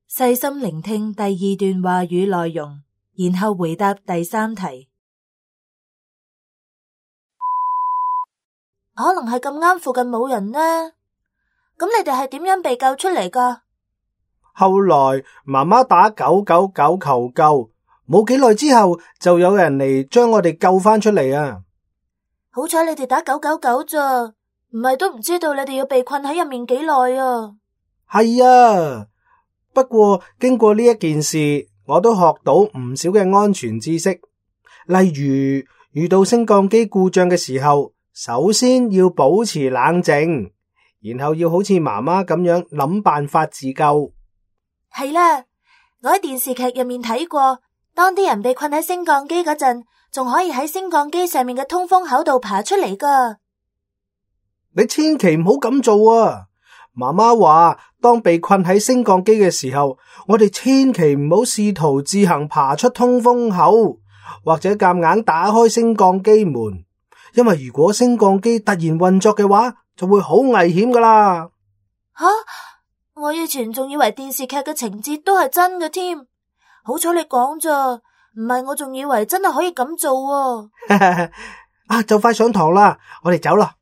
細心聆聽第二段話語內容，然後回答第三題。可能係咁啱附近冇人呢？咁你哋係點樣被救出嚟㗎？後來媽媽打999求救，冇幾耐之後就有人嚟將我哋救返出嚟啊！好彩你哋打999咋，唔係都唔知道你哋要被困喺入面幾耐啊！係啊，不過經過呢一件事，我都學到唔少嘅安全知識，例如遇到升降機故障嘅時候，首先要保持冷靜，然後要好似媽媽咁樣諗辦法自救。係啦，我喺電視劇入面睇過，當啲人被困喺升降機嗰陣，仲可以喺升降機上面嘅通風口度爬出嚟㗎。你千祈唔好咁做啊！媽媽話，當被困喺升降機嘅時候，我哋千祈唔好試圖自行爬出通風口，或者夾硬打開升降機門，因為如果升降機突然運作嘅話，就會好危險㗎喇。吓！我以前仲以為電視劇嘅情節都係真嘅添，好彩你講咋，唔係我仲以為真係可以咁做啊！啊，就快上堂啦，我哋走啦。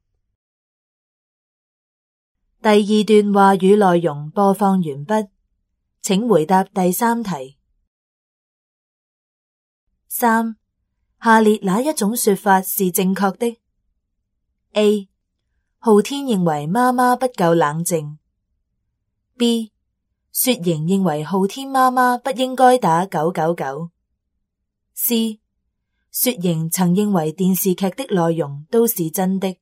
第二段話語內容播放完畢，請回答第三題。3. 下列哪一種說法是正確的？ A. 浩天認為媽媽不夠冷靜。B. 雪瑩認為浩天媽媽不應該打999。C. 雪瑩曾認為電視劇的內容都是真的。